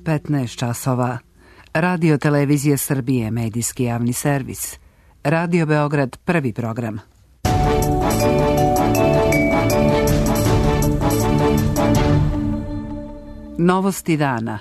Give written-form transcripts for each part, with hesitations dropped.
15 časova. Radio Televizije Srbije, medijski javni servis. Radio Beograd, prvi program. Novosti dana.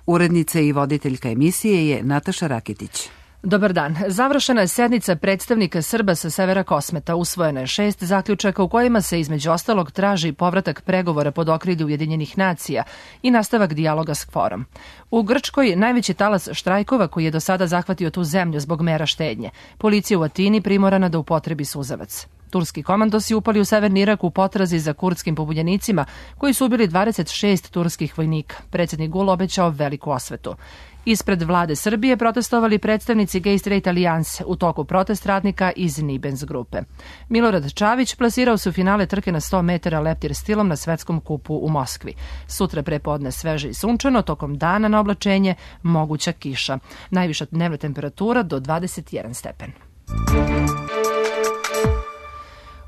Urednica i voditeljka emisije je Nataša Rakitić. Dobar dan. Završena je sednica predstavnika Srba sa severa Kosmeta. Usvojeno je 6 zaključaka u kojima se između ostalog traži povratak pregovora pod okrilju Ujedinjenih nacija i nastavak dijaloga s KFOR-om. U Grčkoj najveći talas štrajkova koji je do sada zahvatio tu zemlju zbog mera štednje. Policija u Atini primorana da upotrebi suzavac. Turski komandosi upali u severni Irak u potrazi za kurdskim pobunjenicima koji su ubili 26 turskih vojnika. Predsjednik Gul obećao veliku osvetu. Ispred vlade Srbije protestovali predstavnici Gay Straight Alijanse u toku protest radnika iz Nibens grupe. Milorad Čavić plasirao se u finale trke na 100 metara leptir stilom na svetskom kupu u Moskvi. Sutra prepodne sveže i sunčano, tokom dana na oblačenje moguća kiša. Najviša dnevna temperatura do 21 stepen.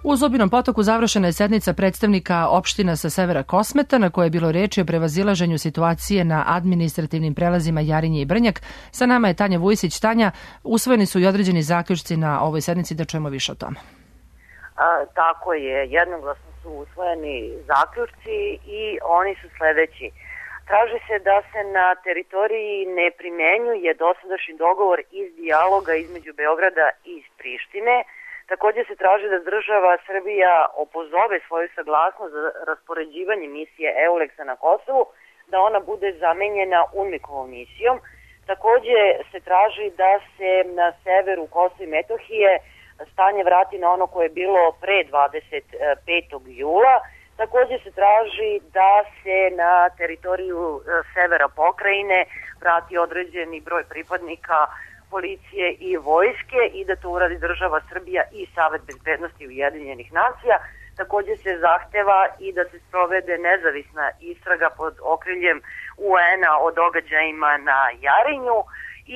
U Zubinom Potoku završena je sednica predstavnika opština sa severa Kosmeta na kojoj je bilo reči o prevazilaženju situacije na administrativnim prelazima Jarinje i Brnjak. Sa nama je Tanja Vujsić. Tanja, usvojeni su i određeni zaključci na ovoj sednici, da čujemo više o tome. Tako je, jednoglasno su usvojeni zaključci i oni su sledeći. Traži se da se na teritoriji ne primenjuje dosadašnji dogovor iz dijaloga između Beograda i Prištine. Također se traži da država Srbija opozove svoju saglasnost za raspoređivanje misije EULEX-a na Kosovu, da ona bude zamenjena UNMIK-ovom misijom. Također se traži da se na severu Kosova i Metohije stanje vrati na ono koje je bilo pre 25. jula. Također se traži da se na teritoriju severa pokrajine vrati određeni broj pripadnika policije i vojske i da to uradi država Srbija i Savet bezbednosti Ujedinjenih nacija. Također se zahteva i da se sprovede nezavisna istraga pod okriljem UN-a o događajima na Jarinju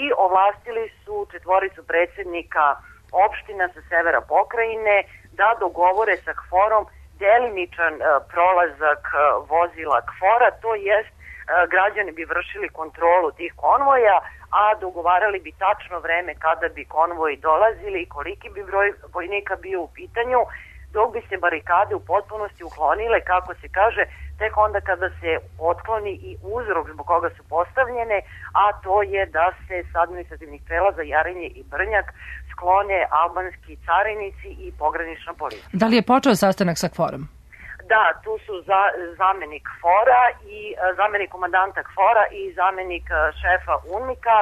i ovlastili su 4 predsjednika opština sa severa pokrajine da dogovore sa KFOR-om delimičan prolazak vozila KFOR-a, to jest građani bi vršili kontrolu tih konvoja, a dogovarali bi tačno vreme kada bi konvoji dolazili i koliki bi broj vojnika bio u pitanju, dok bi se barikade u potpunosti uklonile, kako se kaže, tek onda kada se otkloni i uzrok zbog koga su postavljene, a to je da se s administrativnih prelaza Jarinje i Brnjak sklone albanski carinici i pogranična policija. Da li je počeo sastanak sa KFOR-om? Da, tu su zamenik KFOR-a i zamenik komandanta KFOR-a i zamenik šefa UNMIK-a.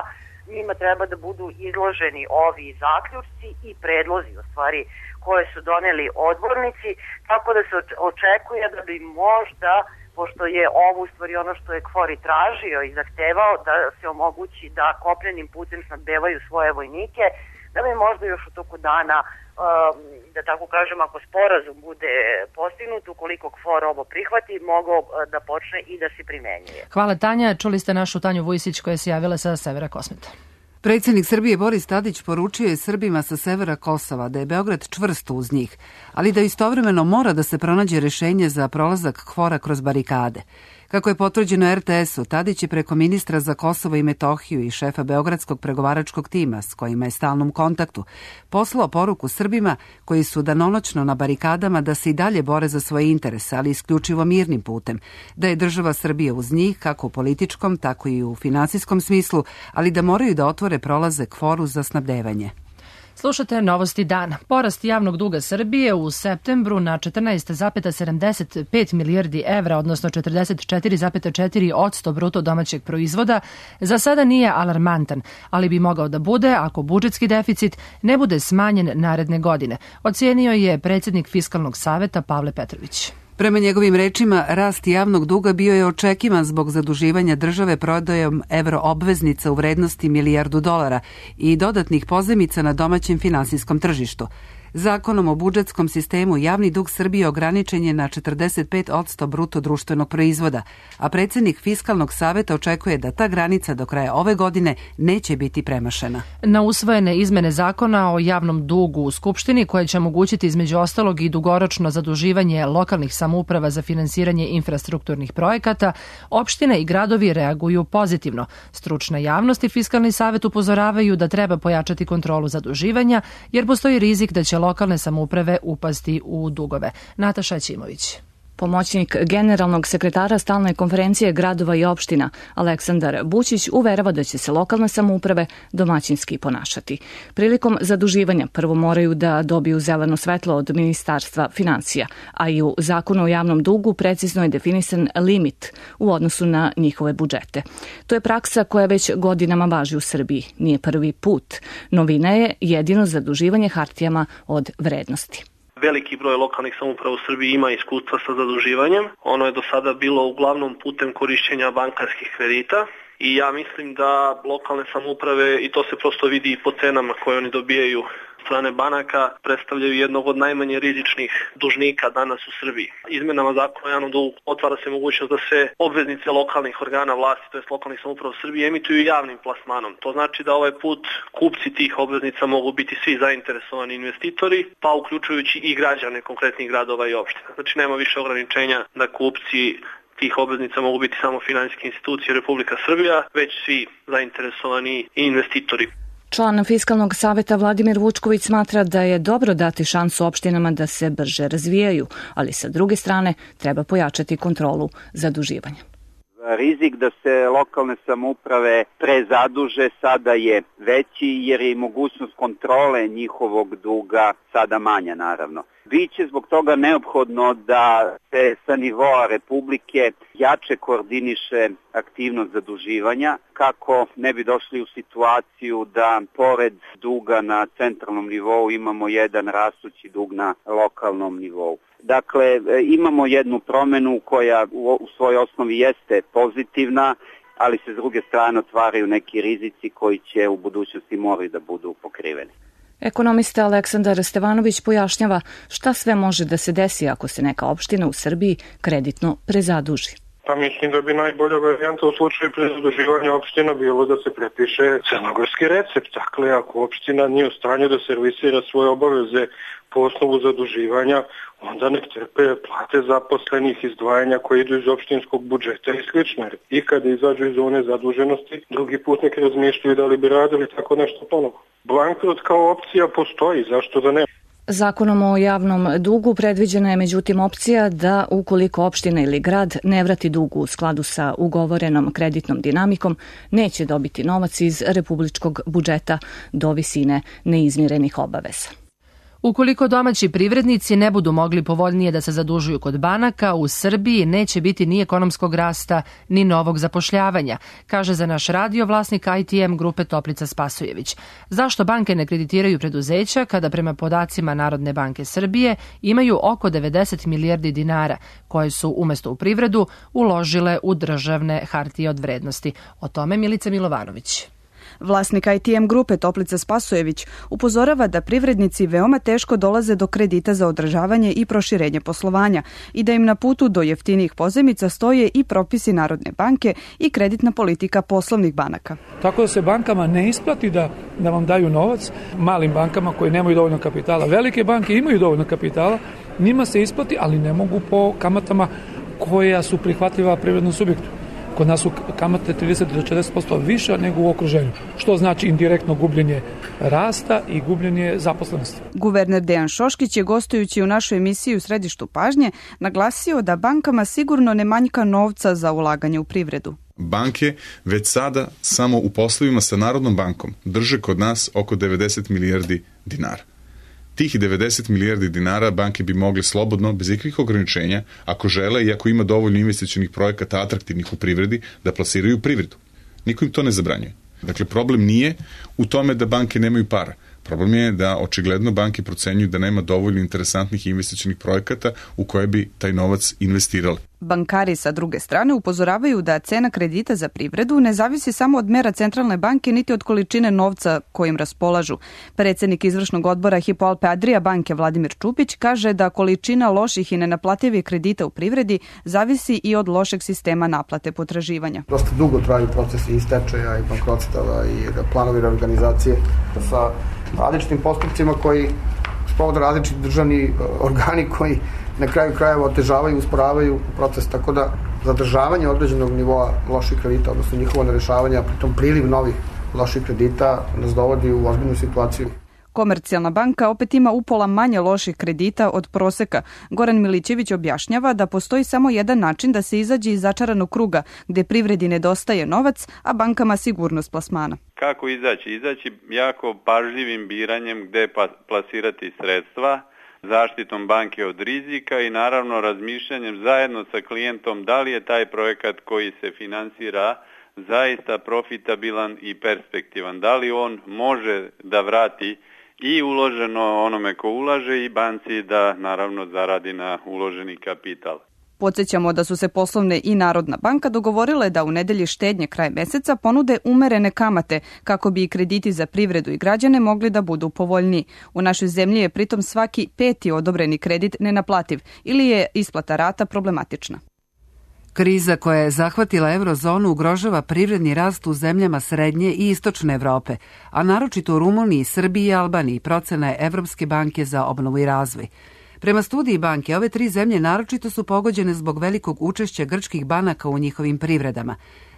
Njima treba da budu izloženi ovi zaključci i predlozi, u stvari, koje su doneli odbornici, tako da se očekuje da bi možda, pošto je ovo u stvari ono što je KFOR i tražio i zahtevao, da se omogući da kopljenim putem snabdevaju svoje vojnike, da bi možda još u toku dana, da tako kažem, ako sporazum bude postignut, ukoliko KFOR ovo prihvati, mogao da počne i da se primenjuje. Hvala, Tanja. Čuli ste našu Tanju Vujsić koja se javila sa severa Kosmeta. Predsjednik Srbije Boris Tadić poručio je Srbima sa severa Kosova da je Beograd čvrst uz njih, ali da istovremeno mora da se pronađe rješenje za prolazak KFOR-a kroz barikade. Kako je potvrđeno RTS-u, Tadić je preko ministra za Kosovo i Metohiju i šefa Beogradskog pregovaračkog tima, s kojima je stalnom kontaktu, poslao poruku Srbima koji su danonoćno na barikadama da se i dalje bore za svoje interese, ali isključivo mirnim putem, da je država Srbija uz njih, kako u političkom, tako i u finansijskom smislu, ali da moraju da otvore prolaze KFOR-u za snabdevanje. Slušate Novosti dana. Porast javnog duga Srbije u septembru na 14,75 milijardi evra, odnosno 44,4% bruto domaćeg proizvoda, za sada nije alarmantan, ali bi mogao da bude ako budžetski deficit ne bude smanjen naredne godine, ocijenio je predsjednik Fiskalnog saveta Pavle Petrović. Prema njegovim rečima, rast javnog duga bio je očekivan zbog zaduživanja države prodajom evroobveznica u vrednosti $1 milijardu i dodatnih pozajmica na domaćem finansijskom tržištu. Zakonom o budžetskom sistemu javni dug Srbije ograničen je na 45% bruto društvenog proizvoda, a predsjednik Fiskalnog saveta očekuje da ta granica do kraja ove godine neće biti premašena. Na usvojene izmene zakona o javnom dugu u Skupštini, koje će omogućiti između ostalog i dugoročno zaduživanje lokalnih samouprava za finansiranje infrastrukturnih projekata, opštine i gradovi reaguju pozitivno. Stručna javnost i Fiskalni savet upozoravaju da treba pojačati kontrolu zaduživanja, jer postoji rizik da će lokalne samouprave upasti u dugove. Nataša Ćimović. Pomoćnik generalnog sekretara Stalne konferencije gradova i opština Aleksandar Bućić uverava da će se lokalne samouprave domaćinski ponašati. Prilikom zaduživanja prvo moraju da dobiju zeleno svetlo od Ministarstva finansija, a i u Zakonu o javnom dugu precizno je definisan limit u odnosu na njihove budžete. To je praksa koja već godinama važi u Srbiji. Nije prvi put. Novina je jedino zaduživanje hartijama od vrednosti. Veliki broj lokalnih samouprava u Srbiji ima iskustva sa zaduživanjem. Ono je do sada bilo uglavnom putem korišćenja bankarskih kredita i ja mislim da lokalne samouprave, i to se prosto vidi i po cenama koje oni dobijaju strane banaka, predstavljaju jednog od najmanje rizičnih dužnika danas u Srbiji. Izmenama zakona o javnom dugu otvara se mogućnost da se obveznice lokalnih organa vlasti, to jest lokalnih samouprava u Srbiji, emituju javnim plasmanom. To znači da ovaj put kupci tih obveznica mogu biti svi zainteresovani investitori, pa uključujući i građane konkretnih gradova i opština. Znači nema više ograničenja da kupci tih obveznica mogu biti samo finansijske institucije Republika Srbija, već svi zainteresovani investitori. Član Fiskalnog saveta Vladimir Vučković smatra da je dobro dati šansu opštinama da se brže razvijaju, ali sa druge strane treba pojačati kontrolu zaduživanja. Rizik da se lokalne samouprave prezaduže sada je veći jer je i mogućnost kontrole njihovog duga sada manja naravno. Biće zbog toga neophodno da se sa nivoa Republike jače koordiniše aktivnost zaduživanja kako ne bi došli u situaciju da pored duga na centralnom nivou imamo jedan rastući dug na lokalnom nivou. Dakle, imamo jednu promenu koja u svojoj osnovi jeste pozitivna, ali se s druge strane otvaraju neki rizici koji će u budućnosti morati da budu pokriveni. Ekonomista Aleksandar Stevanović pojašnjava šta sve može da se desi ako se neka opština u Srbiji kreditno prezaduži. Pa mislim da bi najbolja varijanta u slučaju prezaduživanja opština bilo da se prepiše crnogorski recept. Dakle, ako opština nije u stanju da servisira svoje obaveze po osnovu zaduživanja, onda nek trpe plate zaposlenih, izdvajanja koje idu iz opštinskog budžeta i slično. I kada izađu iz zone zaduženosti, drugi put nek razmišljaju da li bi radili tako nešto ponovo. Bankrot kao opcija postoji, zašto da ne? Zakonom o javnom dugu predviđena je međutim opcija da ukoliko opština ili grad ne vrati dug u skladu sa ugovorenom kreditnom dinamikom, neće dobiti novac iz republičkog budžeta do visine neizmirenih obaveza. Ukoliko domaći privrednici ne budu mogli povoljnije da se zadužuju kod banaka, u Srbiji neće biti ni ekonomskog rasta, ni novog zapošljavanja, kaže za naš radio vlasnik ITM grupe Toplica Spasojević. Zašto banke ne kreditiraju preduzeća kada prema podacima Narodne banke Srbije imaju oko 90 milijardi dinara, koje su umesto u privredu uložile u državne hartije od vrednosti? O tome Milica Milovanović. Vlasnik ITM grupe Toplica Spasojević upozorava da privrednici veoma teško dolaze do kredita za održavanje i proširenje poslovanja i da im na putu do jeftinijih pozajmica stoje i propisi Narodne banke i kreditna politika poslovnih banaka. Tako da se bankama ne isplati da vam daju novac, malim bankama koji nemaju dovoljno kapitala. Velike banke imaju dovoljno kapitala, njima se isplati, ali ne mogu po kamatama koja su prihvatljiva privrednom subjektu. Kod nas su kamate 30 do 40% više nego u okruženju, što znači indirektno gubljenje rasta i gubljenje zaposlenosti. Guverner Dejan Šoškić je gostujući u našoj emisiji U središtu pažnje naglasio da bankama sigurno ne manjka novca za ulaganje u privredu. Banke već sada samo u poslovima sa Narodnom bankom drže kod nas oko 90 milijardi dinara. Tih 90 milijardi dinara banke bi mogle slobodno, bez ikakvih ograničenja, ako žele i ako ima dovoljno investicionih projekata atraktivnih u privredi, da plasiraju u privredu. Niko im to ne zabranjuje. Dakle, problem nije u tome da banke nemaju para. Problem je da očigledno banke procenjuju da nema dovoljno interesantnih investicionih projekata u koje bi taj novac investirali. Bankari sa druge strane upozoravaju da cena kredita za privredu ne zavisi samo od mera centralne banke niti od količine novca kojim raspolažu. Predsednik izvršnog odbora Hypo Alpe Adria banke Vladimir Čupić kaže da količina loših i nenaplativih kredita u privredi zavisi i od lošeg sistema naplate potraživanja. Dosta dugo traju procesi i stečaja i bankrotstava i planovi reorganizacije sa različitim postupcima koji sprovode različiti državni organi koji na kraju krajeva otežavaju, usporavaju proces, tako da zadržavanje određenog nivoa loših kredita, odnosno njihovo nerešavanje, a pritom priliv novih loših kredita nas dovodi u ozbiljnu situaciju. Komercijalna banka opet ima upola manje loših kredita od proseka. Goran Milićević objašnjava da postoji samo jedan način da se izađe iz začaranog kruga, gde privredi nedostaje novac, a bankama sigurnost plasmana. Kako izaći? Izaći jako pažljivim biranjem gde plasirati sredstva, zaštitom banke od rizika i naravno razmišljanjem zajedno sa klijentom da li je taj projekat koji se finansira zaista profitabilan i perspektivan, da li on može da vrati i uloženo onome ko ulaže i banci da naravno zaradi na uloženi kapital. Podsjećamo da su se Poslovne i Narodna banka dogovorile da u nedelji štednje kraj meseca ponude umerene kamate kako bi i krediti za privredu i građane mogli da budu povoljniji. U našoj zemlji je pritom svaki 5. odobreni kredit nenaplativ ili je isplata rata problematična. Kriza koja je zahvatila eurozonu ugrožava privredni rast u zemljama srednje i istočne Evrope, a naročito u Rumuniji, Srbiji i Albaniji, procena je Evropske banke za obnovu i razvoj. Prema studiji banke, ove 3 zemlje naročito su pogođene zbog velikog učešća grčkih banaka u njihovim privredama.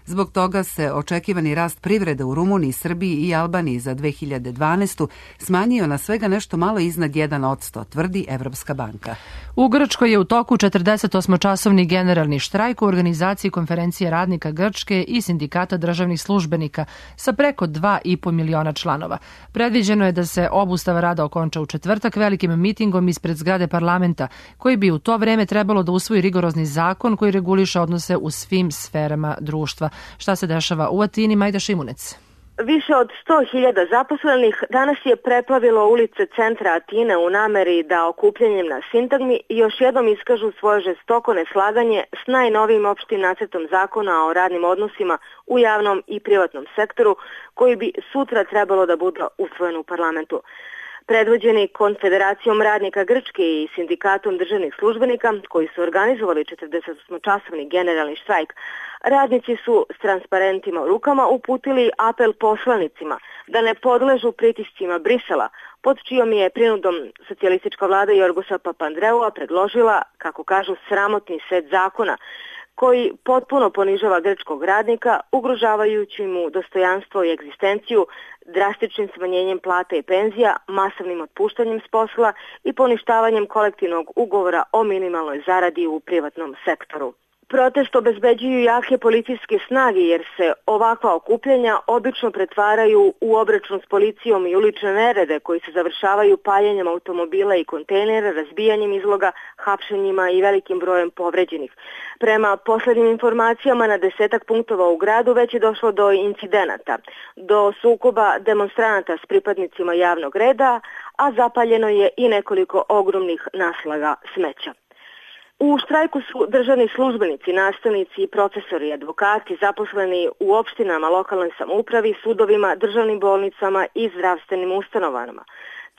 Zbog toga se očekivani rast privrede u Rumuniji, Srbiji i Albaniji za 2012. smanjio na svega nešto malo iznad 1%, tvrdi Evropska banka. U Grčkoj je u toku 48-časovni generalni štrajk u organizaciji konferencije radnika Grčke i sindikata državnih službenika sa preko 2,5 miliona članova. Predviđeno je da se obustava rada okonča u četvrtak velikim mitingom ispred zgrade parlamenta, koji bi u to vreme trebalo da usvoji rigorozni zakon koji reguliše odnose u svim sferama društva. Šta se dešava u Atini? Majda Šimunec. Više od 100.000 zaposlenih danas je preplavilo ulice centra Atine u nameri da okupljanjem na sintagmi još jednom iskažu svoje žestoko neslaganje s najnovijim opštim nacrtom zakona o radnim odnosima u javnom i privatnom sektoru koji bi sutra trebalo da bude usvojen u parlamentu. Predvođeni Konfederacijom radnika Grčke i sindikatom državnih službenika koji su organizovali 48-časovni generalni štrajk, radnici su s transparentima u rukama uputili apel poslanicima da ne podležu pritiscima Brisela, pod čijom je prinudom socijalistička vlada Jorgosa Papandreua predložila, kako kažu, sramotni set zakona koji potpuno ponižava grčkog radnika, ugrožavajući mu dostojanstvo i egzistenciju, drastičnim smanjenjem plata i penzija, masovnim otpuštanjem s posla i poništavanjem kolektivnog ugovora o minimalnoj zaradi u privatnom sektoru. Protest obezbeđuju jake policijske snage jer se ovakva okupljanja obično pretvaraju u obračun s policijom i ulične nerede koji se završavaju paljenjem automobila i kontejnera, razbijanjem izloga, hapšenjima i velikim brojem povređenih. Prema poslednjim informacijama na 10 punktova u gradu već je došlo do incidenata, do sukoba demonstranata s pripadnicima javnog reda, a zapaljeno je i nekoliko ogromnih naslaga smeća. U štrajku su državni službenici, nastavnici i profesori, advokati, zaposleni u opštinama, lokalnoj samoupravi, sudovima, državnim bolnicama i zdravstvenim ustanovama.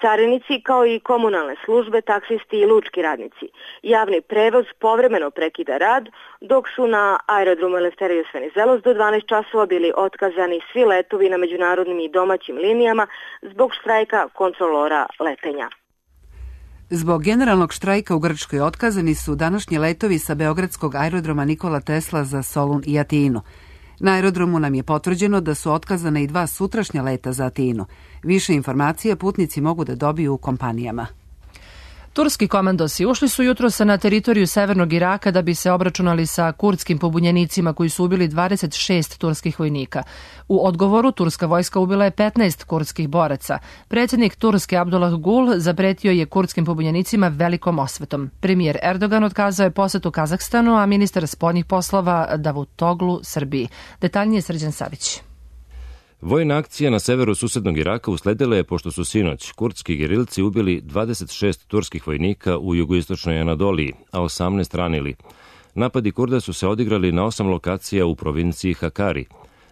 Carinici kao i komunalne službe, taksisti i lučki radnici. Javni prevoz povremeno prekida rad, dok su na aerodromu Eleftherios Venizelos do 12 časova bili otkazani svi letovi na međunarodnim i domaćim linijama zbog štrajka kontrolora letenja. Zbog generalnog štrajka u Grčkoj otkazani su današnji letovi sa beogradskog aerodroma Nikola Tesla za Solun i Atinu. Na aerodromu nam je potvrđeno da su otkazane i 2 sutrašnja leta za Atinu. Više informacija putnici mogu da dobiju u kompanijama. Turski komandosi ušli su jutros na teritoriju severnog Iraka da bi se obračunali sa kurdskim pobunjenicima koji su ubili 26 turskih vojnika. U odgovoru turska vojska ubila je 15 kurdskih boraca. Predsjednik Turske Abdullah Gul zapretio je kurdskim pobunjenicima velikom osvetom. Premijer Erdogan otkazao je posetu Kazahstanu, a ministar spoljnih poslova Davutoglu Srbiji. Detaljnije Srđan Savić. Vojna akcija na severu susednog Iraka usledila je pošto su sinoć kurdski gerilci ubili 26 turskih vojnika u jugoistočnoj Anadoliji, a 18 ranili. Napadi Kurda su se odigrali na 8 lokacija u provinciji Hakari.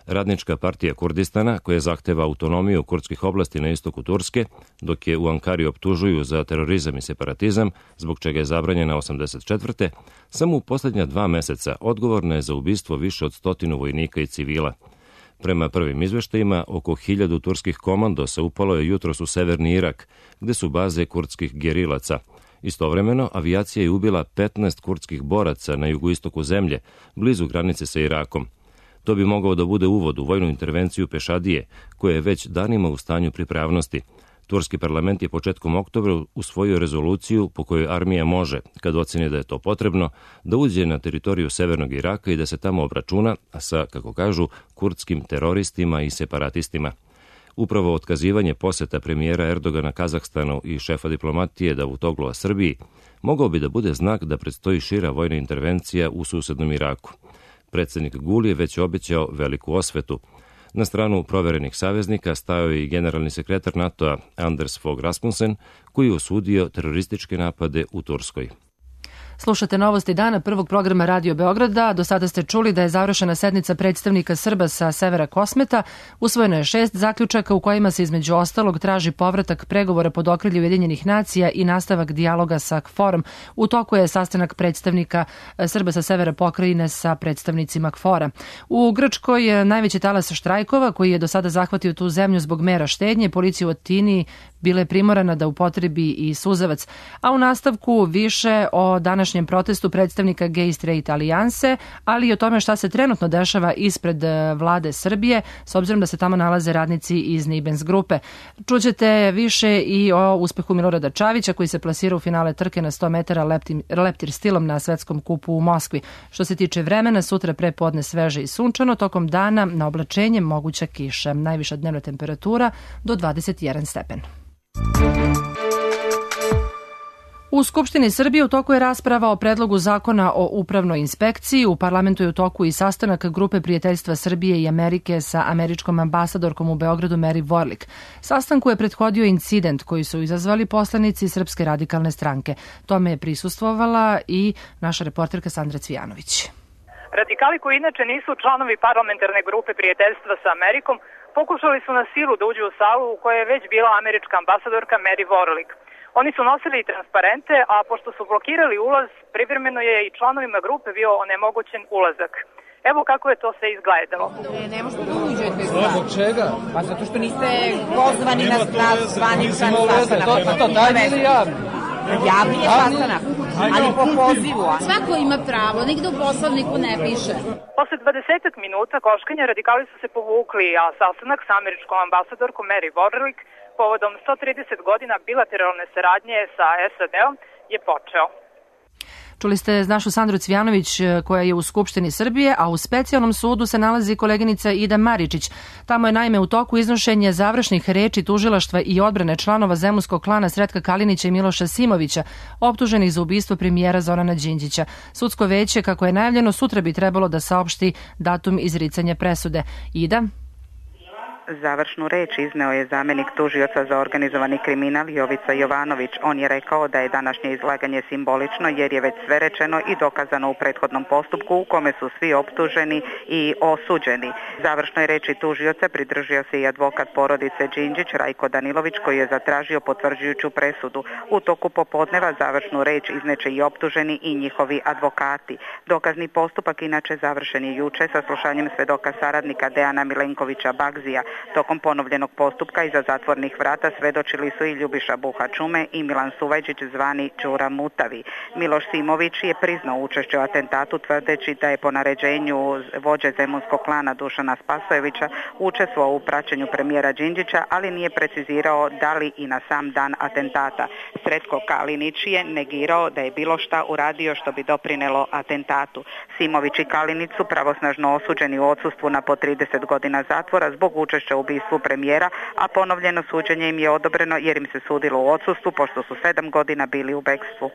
Radnička partija Kurdistana, koja zahteva autonomiju kurdskih oblasti na istoku Turske, dok je u Ankari optužuju za terorizam i separatizam, zbog čega je zabranjena 84. samo u posljednja 2 meseca odgovorna je za ubistvo više od 100 vojnika i civila. Prema prvim izveštajima, oko 1000 turskih komandosa upalo je jutros u severni Irak, gde su baze kurdskih gerilaca. Istovremeno, avijacija je ubila 15 kurdskih boraca na jugoistoku zemlje, blizu granice sa Irakom. To bi mogao da bude uvod u vojnu intervenciju Pešadije, koja je već danima u stanju pripravnosti. Turski parlament je početkom oktobra usvojio rezoluciju po kojoj armija može, kad oceni da je to potrebno, da uđe na teritoriju severnog Iraka i da se tamo obračuna sa, kako kažu, kurdskim teroristima i separatistima. Upravo otkazivanje poseta premijera Erdogana Kazahstanu i šefa diplomatije Davutoglua Srbiji mogao bi da bude znak da predstoji šira vojna intervencija u susednom Iraku. Predsjednik Gul je već obećao veliku osvetu. Na stranu proverenih saveznika stajao je i generalni sekretar NATO-a Anders Fogh Rasmussen, koji je osudio terorističke napade u Turskoj. Slušate novosti dana prvog programa Radio Beograda. Do sada ste čuli da je završena sednica predstavnika Srba sa severa Kosmeta. Usvojeno je 6 zaključaka u kojima se između ostalog traži povratak pregovora pod okriljem Ujedinjenih nacija i nastavak dijaloga sa KFOR-om. U toku je sastanak predstavnika Srba sa severa pokrajine sa predstavnicima KFOR-a. U Grčkoj je najveći talas štrajkova koji je do sada zahvatio tu zemlju zbog mera štednje. Policija u Atini bila je primorana da upotrebi i suzavac. A u nastavku više o današnjem protestu predstavnika Gay Straight Alijanse, ali i o tome šta se trenutno dešava ispred vlade Srbije, s obzirom da se tamo nalaze radnici iz Nibens grupe. Čućete više i o uspehu Milorada Čavića, koji se plasira u finale trke na 100 metara leptir stilom na svetskom kupu u Moskvi. Što se tiče vremena, sutra prepodne sveže i sunčano, tokom dana na oblačenje moguća kiša. Najviša dnevna temperatura do 21 stepen. U Skupštini Srbije u toku je rasprava o predlogu zakona o upravnoj inspekciji. U parlamentu je u toku i sastanak Grupe prijateljstva Srbije i Amerike sa američkom ambasadorkom u Beogradu Mary Vorlik. Sastanku je prethodio incident koji su izazvali poslanici Srpske radikalne stranke. Tome je prisustvovala i naša reporterka Sandra Cvijanović. Radikali koji inače nisu članovi parlamentarne grupe prijateljstva sa Amerikom pokušali su na silu da uđu u salu u kojoj je već bila američka ambasadorka Mary Vorlik. Oni su nosili i transparente, a pošto su blokirali ulaz, privremeno je i članovima grupe bio onemogućen ulazak. Evo kako je to sve izgledalo. Ne možete da uđete. Zbog čega? Pa zato što niste pozvani na zvaničan sastanak. To tajni ili javni? Javni je sastanak, ali po pozivu. Svako ima pravo, nigde u poslovniku ne piše. Posle 20 minuta koškanja radikali su se povukli, a sastanak sa američkom ambasadorkom Mary Vorlik povodom 130 godina bilateralne saradnje sa SAD-om je počeo. Čuli ste našu Sandru Cvijanović koja je u Skupštini Srbije, a u specijalnom sudu se nalazi koleginica Ida Maričić. Tamo je naime u toku iznošenje završnih reči tužilaštva i odbrane članova zemunskog klana Sretka Kalinića i Miloša Simovića, optuženih za ubistvo premijera Zorana Đinđića. Sudsko veće, kako je najavljeno, sutra bi trebalo da saopšti datum izricanja presude. Ida? Završnu reč izneo je zamjenik tužioca za organizovani kriminal Jovica Jovanović. On je rekao da je današnje izlaganje simbolično jer je već sve rečeno i dokazano u prethodnom postupku u kome su svi optuženi i osuđeni. Završnoj reči tužioca pridržio se i advokat porodice Đinđić Rajko Danilović koji je zatražio potvrđujuću presudu. U toku popodneva završnu reč izneće i optuženi i njihovi advokati. Dokazni postupak inače završen je juče sa slušanjem svedoka saradnika Dejana Milenkovića Bagzija. Tokom ponovljenog postupka iza zatvornih vrata svedočili su i Ljubiša Buhačume i Milan Suvajđić zvani Đura Mutavi. Miloš Simović je priznao učešće u atentatu tvrdeći da je po naređenju vođe zemunskog klana Dušana Spasojevića učestvovao u praćenju premijera Đinđića, ali nije precizirao da li i na sam dan atentata. Sretko Kalinić je negirao da je bilo šta uradio što bi doprinelo atentatu. Simović i Kalinić su pravosnažno osuđeni u odsustvu na po 30 godina zatvora zbog učešća u ubistvu premijera, a ponovljeno suđenje im je odobreno jer im se sudilo u odsustvu pošto su 7 godina bili u bekstvu.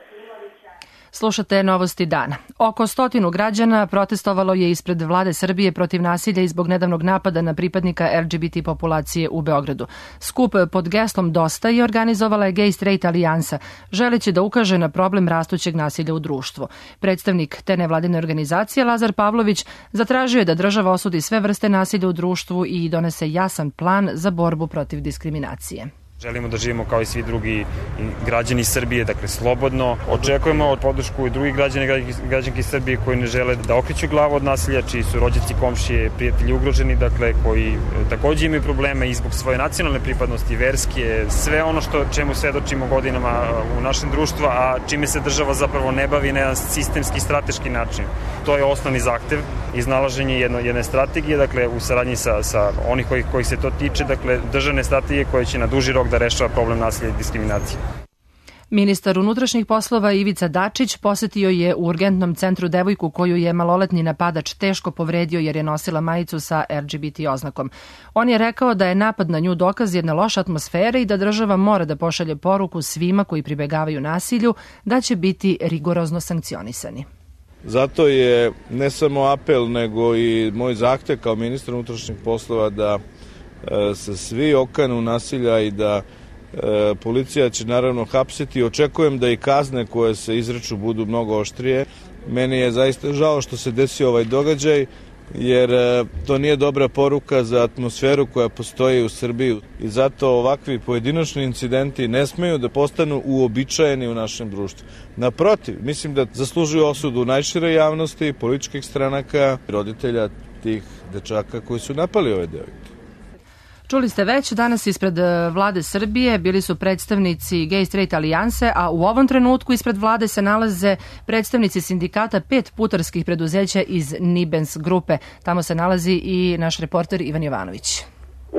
Slušate Novosti dana. Oko 100 građana protestovalo je ispred vlade Srbije protiv nasilja i zbog nedavnog napada na pripadnika LGBT populacije u Beogradu. Skup pod geslom Dosta je organizovala je Gay Straight alijansa, želeći da ukaže na problem rastućeg nasilja u društvu. Predstavnik te nevladine organizacije Lazar Pavlović zatražio je da država osudi sve vrste nasilja u društvu i donese jasan plan za borbu protiv diskriminacije. Želimo da živimo kao i svi drugi građani Srbije, dakle slobodno. Očekujemo podršku i drugih građana i građanki Srbije koji ne žele da okreću glavu od nasilja, čiji su rođaci, komšije, prijatelji ugroženi, dakle koji takođe imaju probleme i zbog svoje nacionalne pripadnosti, verske, sve ono čemu svedočimo godinama u našem društvu, a čime se država zapravo ne bavi na jedan sistemski, strateški način. To je osnovni zahtev, iznalaženje jedne strategije, dakle u saradnji sa onih kojih se to tiče, dakle državne strategije koje će na duži rok da rešava problem nasilja i diskriminacije. Ministar unutrašnjih poslova Ivica Dačić posetio je u urgentnom centru devojku koju je maloletni napadač teško povredio jer je nosila majicu sa LGBT oznakom. On je rekao da je napad na nju dokaz jedne loše atmosfere i da država mora da pošalje poruku svima koji pribegavaju nasilju da će biti rigorozno sankcionisani. Zato je ne samo apel nego i moj zahtev kao ministar unutrašnjih poslova da se svi okanu nasilja i da policija će naravno hapsiti. Očekujem da i kazne koje se izreču budu mnogo oštrije. Meni je zaista žao što se desio ovaj događaj, jer to nije dobra poruka za atmosferu koja postoji u Srbiji i zato ovakvi pojedinačni incidenti ne smeju da postanu uobičajeni u našem društvu. Naprotiv, mislim da zaslužuju osudu najšire javnosti, političkih stranaka, roditelja tih dečaka koji su napali ove devojke. Čuli ste već, danas ispred vlade Srbije bili su predstavnici Gay Straight alijanse, a u ovom trenutku ispred vlade se nalaze predstavnici sindikata 5 putarskih preduzeća iz Nibens grupe. Tamo se nalazi i naš reporter Ivan Jovanović.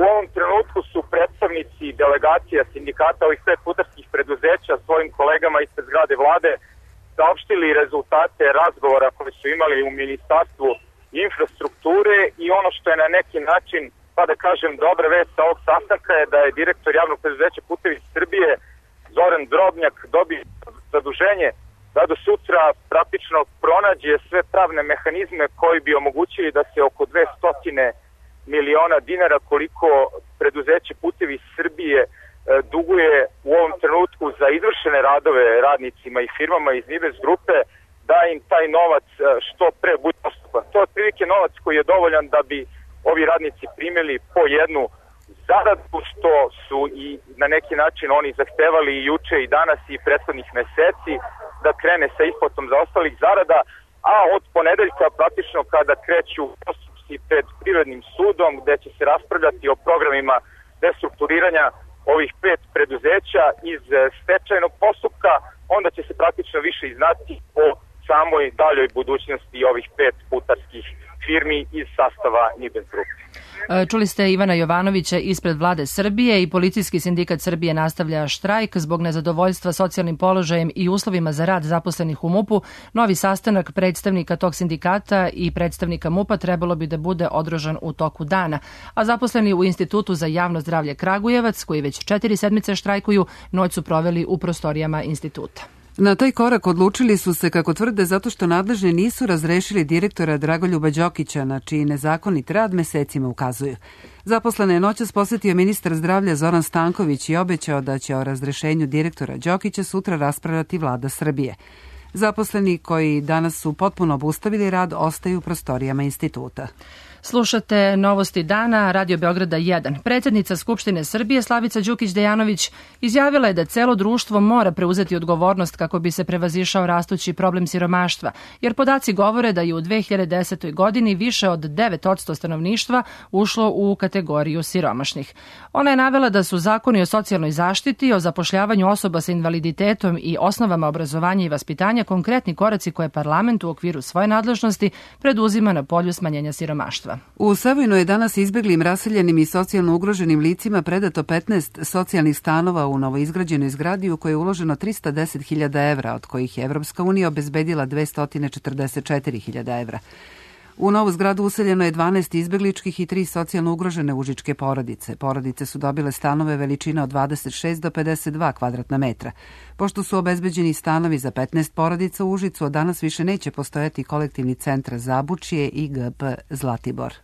U ovom trenutku su predstavnici delegacija sindikata ovih 5 putarskih preduzeća svojim kolegama ispred zgrade vlade saopštili rezultate razgovora koje su imali u Ministarstvu infrastrukture i ono što je na neki način, pa da kažem, dobra vest sa ovog sastanka je da je direktor javnog preduzeća Putevi Srbije Zoran Drobnjak dobio zaduženje da do sutra praktično pronađe sve pravne mehanizme koji bi omogućili da se oko 200 miliona dinara koliko preduzeće Putevi Srbije duguje u ovom trenutku za izvršene radove radnicima i firmama iz Nibens grupe, da im taj novac što pre bude dostupan. To je otprilike novac koji je dovoljan da bi ovi radnici primili po jednu zaradu, što su i na neki način oni zahtevali i juče i danas i prethodnih meseci, da krene sa isplatom zaostalih zarada, a od ponedeljka praktično kada kreću postupci pred Privrednim sudom gde će se raspravljati o programima restrukturiranja ovih 5 preduzeća iz stečajnog postupka, onda će se praktično više iznati o samoj daljoj budućnosti ovih 5 putarskih firmi iz sastava Nibens grupe. Čuli ste Ivana Jovanovića ispred vlade Srbije i Policijski sindikat Srbije nastavlja štrajk zbog nezadovoljstva socijalnim položajem i uslovima za rad zaposlenih u MUP-u. Novi sastanak predstavnika tog sindikata i predstavnika MUP-a trebalo bi da bude održan u toku dana, a zaposleni u Institutu za javno zdravlje Kragujevac, koji već 4 sedmice štrajkuju, noć su proveli u prostorijama instituta. Na taj korak odlučili su se, kako tvrde, zato što nadležni nisu razrešili direktora Dragoljuba Đokića, na čiji nezakonit rad mesecima ukazuju. Zaposlene je noćas posetio ministar zdravlja Zoran Stanković i obećao da će o razrešenju direktora Đokića sutra raspravljati vlada Srbije. Zaposleni koji danas su potpuno obustavili rad ostaju u prostorijama instituta. Slušate Novosti dana, Radio Beograda 1. Predsjednica Skupštine Srbije Slavica Đukić-Dejanović izjavila je da celo društvo mora preuzeti odgovornost kako bi se prevazišao rastući problem siromaštva, jer podaci govore da je u 2010. godini više od 9% stanovništva ušlo u kategoriju siromašnih. Ona je navela da su zakoni o socijalnoj zaštiti, o zapošljavanju osoba sa invaliditetom i osnovama obrazovanja i vaspitanja konkretni koraci koje parlament u okviru svoje nadležnosti preduzima na polju smanjenja siromaštva. U Savojnu je danas izbeglim, raseljenim i socijalno ugroženim licima predato 15 socijalnih stanova u novoizgrađenoj zgradi u kojoj je uloženo 310.000 evra, od kojih je Evropska unija obezbedila 244.000 evra. U novu zgradu useljeno je 12 izbegličkih i 3 socijalno ugrožene užičke porodice. Porodice su dobile stanove veličine od 26 do 52 kvadratna metra. Pošto su obezbeđeni stanovi za 15 porodica u Užicu, od danas više neće postojati kolektivni centar Zabučje i GP Zlatibor.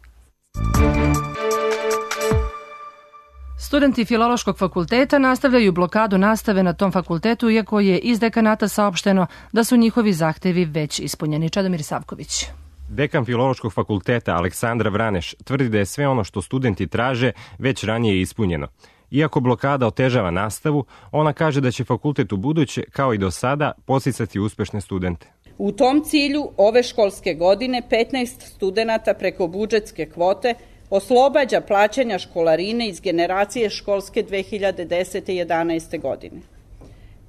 Studenti Filološkog fakulteta nastavljaju blokadu nastave na tom fakultetu, iako je iz dekanata saopšteno da su njihovi zahtevi već ispunjeni. Čedomir Savković. Dekan Filološkog fakulteta Aleksandra Vraneš tvrdi da je sve ono što studenti traže već ranije ispunjeno. Iako blokada otežava nastavu, ona kaže da će fakultet u buduće, kao i do sada, podsticati uspešne studente. U tom cilju ove školske godine 15 studenata preko budžetske kvote oslobađa plaćanja školarine iz generacije školske 2010. i 2011. godine.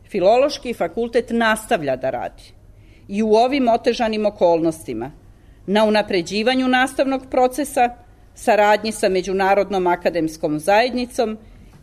Filološki fakultet nastavlja da radi i u ovim otežanim okolnostima na unapređivanju nastavnog procesa, saradnji sa Međunarodnom akademskom zajednicom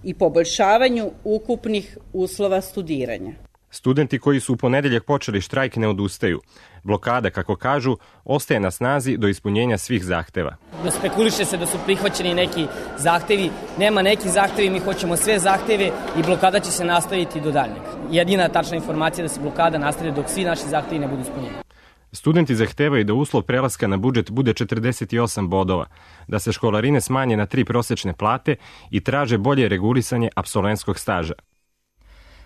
i poboljšavanju ukupnih uslova studiranja. Studenti koji su u ponedeljak počeli štrajk ne odustaju. Blokada, kako kažu, ostaje na snazi do ispunjenja svih zahteva. Spekuliše se da su prihvaćeni neki zahtevi. Nema neki zahtevi, mi hoćemo sve zahteve i blokada će se nastaviti do daljnjeg. Jedina tačna informacija je da se blokada nastavlja dok svi naši zahtevi ne budu ispunjeni. Studenti zahtevaju da uslov prelaska na budžet bude 48 bodova, da se školarine smanje na 3 prosečne plate i traže bolje regulisanje apsolventskog staža.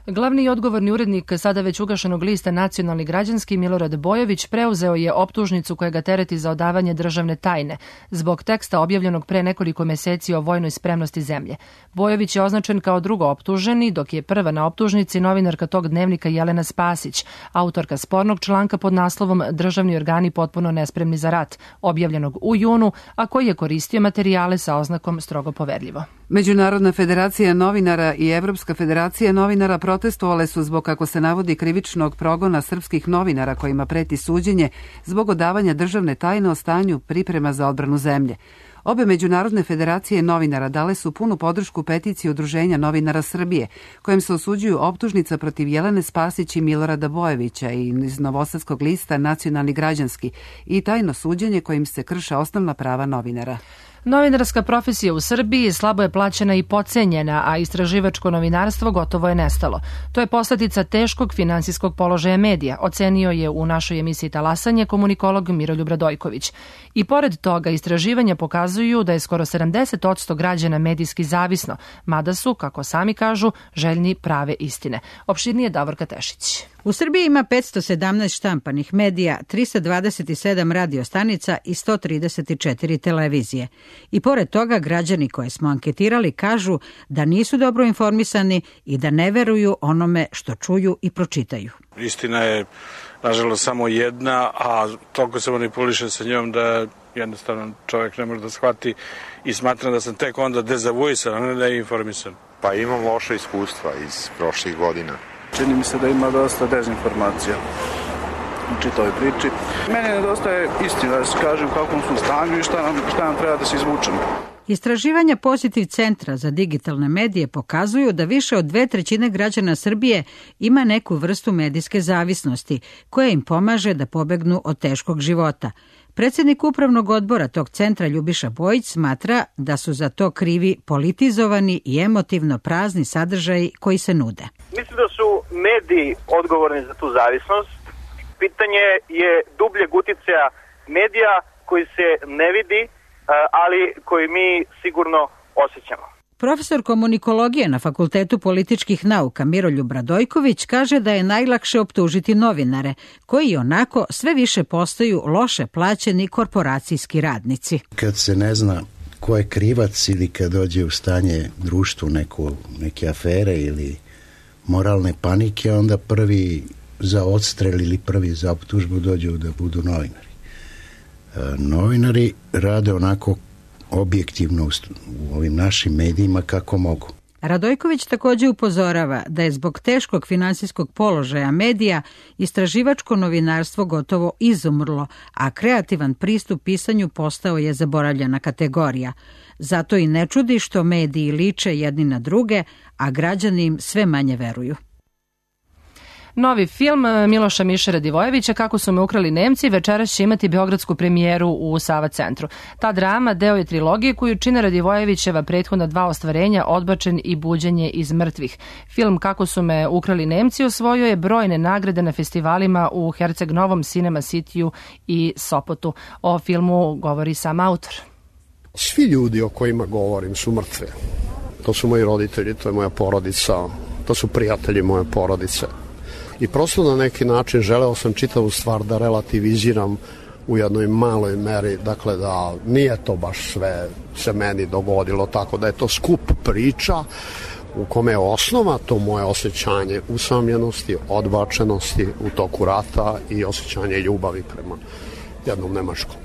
Glavni i odgovorni urednik sada već ugašenog lista Nacionalni građanski Milorad Bojović preuzeo je optužnicu koja ga tereti za odavanje državne tajne zbog teksta objavljenog pre nekoliko meseci o vojnoj spremnosti zemlje. Bojović je označen kao drugo optuženi, dok je prva na optužnici novinarka tog dnevnika Jelena Spasić, autorka spornog članka pod naslovom Državni organi potpuno nespremni za rat, objavljenog u junu, a koji je koristio materijale sa oznakom strogo poverljivo. Međunarodna federacija novinara i Evropska federacija novinara protestovale su zbog, kako se navodi, krivičnog progona srpskih novinara kojima preti suđenje zbog odavanja državne tajne o stanju priprema za odbranu zemlje. Obe međunarodne federacije novinara dale su punu podršku peticiji Udruženja novinara Srbije, kojem se osuđuju optužnica protiv Jelene Spasić i Milorada Bojovića i iz novosadskog lista Nacionalni građanski i tajno suđenje kojim se krše osnovna prava novinara. Novinarska profesija u Srbiji slabo je plaćena i podcenjena, a istraživačko novinarstvo gotovo je nestalo. To je posljedica teškog finansijskog položaja medija, ocenio je u našoj emisiji Talasanje komunikolog Miroljub Radojković. I pored toga, istraživanja pokazuju da je skoro 70% građana medijski zavisno, mada su, kako sami kažu, željni prave istine. Opširnije Davorka Tešić. U Srbiji ima 517 štampanih medija, 327 radiostanica i 134 televizije. I pored toga, građani koje smo anketirali kažu da nisu dobro informisani i da ne veruju onome što čuju i pročitaju. Istina je, nažalost, samo jedna, a toliko se manipuliše sa njom da jednostavno čovjek ne može da shvati i smatram da sam tek onda dezavuisan, a ne da je informisan. Pa imam loše iskustva iz prošlih godina. Čini mi se da ima dosta dezinformacija u čitavoj priči. Meni nedostaje istina, da se kažem kakvom su stanju i šta nam treba da se izvučemo. Istraživanja Pozitiv centra za digitalne medije pokazuju da više od 2/3 građana Srbije ima neku vrstu medijske zavisnosti koja im pomaže da pobegnu od teškog života. Predsjednik upravnog odbora tog centra Ljubiša Bojić smatra da su za to krivi politizovani i emotivno prazni sadržaji koji se nude. Mislim da su mediji odgovorni za tu zavisnost. Pitanje je dubljeg uticaja medija koji se ne vidi, ali koji mi sigurno osjećamo. Profesor komunikologije na Fakultetu političkih nauka Miroljub Radojković kaže da je najlakše optužiti novinare, koji onako sve više postaju loše plaćeni korporacijski radnici. Kad se ne zna ko je krivac ili kad dođe u stanje društvu neke afere ili moralne panike, onda prvi za odstrel ili prvi za optužbu dođu da budu novinari. Novinari rade onako objektivno u ovim našim medijima kako mogu. Radojković također upozorava da je zbog teškog finansijskog položaja medija istraživačko novinarstvo gotovo izumrlo, a kreativan pristup pisanju postao je zaboravljena kategorija. Zato i ne čudi što mediji liče jedni na druge, a građani im sve manje veruju. Novi film Miloša Miše Radivojevića Kako su me ukrali Nemci večeras će imati beogradsku premijeru u Sava centru. Ta drama deo je trilogije koju čine Radivojevićeva prethodna 2 ostvarenja Odbačen i Buđenje iz mrtvih. Film Kako su me ukrali Nemci osvojio je brojne nagrade na festivalima u Herceg Novom, Cinema Cityu i Sopotu. O filmu govori sam autor. Svi ljudi o kojima govorim su mrtve. To su moji roditelji, to je moja porodica, to su prijatelji moje porodice. I prosto na neki način želeo sam čitavu stvar da relativiziram u jednoj maloj meri, dakle da nije to baš sve se meni dogodilo, tako da je to skup priča u kome je osnova to moje osjećanje usamljenosti, odbačenosti u toku rata i osjećanje ljubavi prema jednom nemačkom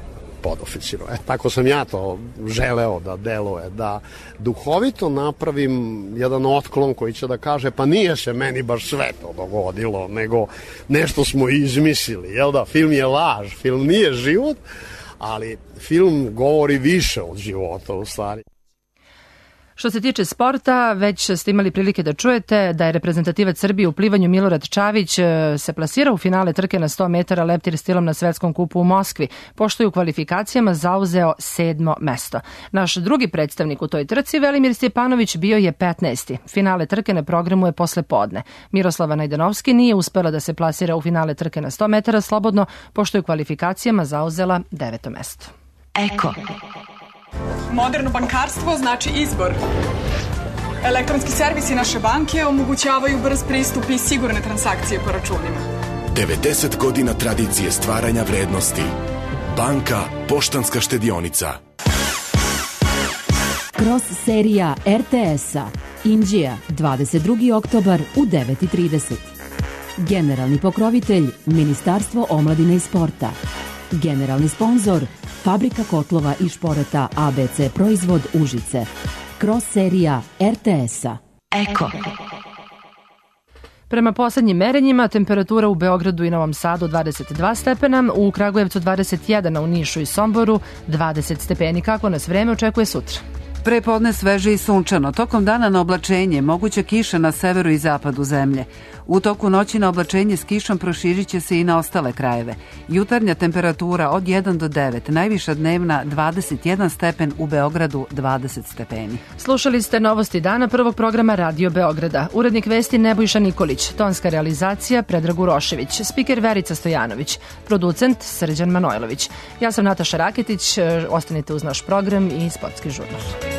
podoficiru. Tako sam ja to želeo da deluje, da duhovito napravim jedan otklon koji će da kaže pa nije se meni baš sve to dogodilo, nego nešto smo izmislili, jel da? Film je laž, film nije život, ali film govori više od života u stvari. Što se tiče sporta, već ste imali prilike da čujete da je reprezentativac Srbije u plivanju Milorad Čavić se plasirao u finale trke na 100 metara leptir stilom na Svetskom kupu u Moskvi, pošto je u kvalifikacijama zauzeo 7. mesto. Naš drugi predstavnik u toj trci, Velimir Stjepanović, bio je 15. Finale trke na programu je posle podne. Miroslava Najdanovski nije uspela da se plasira u finale trke na 100 metara slobodno, pošto je u kvalifikacijama zauzela 9. mesto. Eko. Moderno bankarstvo znači izbor. Elektronski servisi naše banke omogućavaju brz pristup i sigurne transakcije po računima. 90 godina tradicije stvaranja vrednosti. Banka Poštanska štedionica. Cross serija RTS-a. Inđija, 22. oktobar u 9:30. Generalni pokrovitelj Ministarstvo omladine i sporta. Generalni sponzor Fabrika kotlova i šporeta ABC Proizvod Užice. Cross serija RTS-a. Eko. Prema poslednjim merenjima, temperatura u Beogradu i Novom Sadu 22 stepena, u Kragujevcu 21, a u Nišu i Somboru 20 stepeni. Kako nas vreme očekuje sutra? Prepodne sveže i sunčano, tokom dana na oblačenje, moguća kiša na severu i zapadu zemlje. U toku noći na oblačenje s kišom proširit će se i na ostale krajeve. Jutarnja temperatura od 1 do 9, najviša dnevna 21 stepen, u Beogradu 20 stepeni. Slušali ste novosti dana prvog programa Radio Beograda. Urednik vesti Nebojša Nikolić, tonska realizacija Predrag Urošević, spiker Verica Stojanović, producent Srđan Manojlović. Ja sam Nataša Raketić, ostanite uz naš program i sportski žurnal.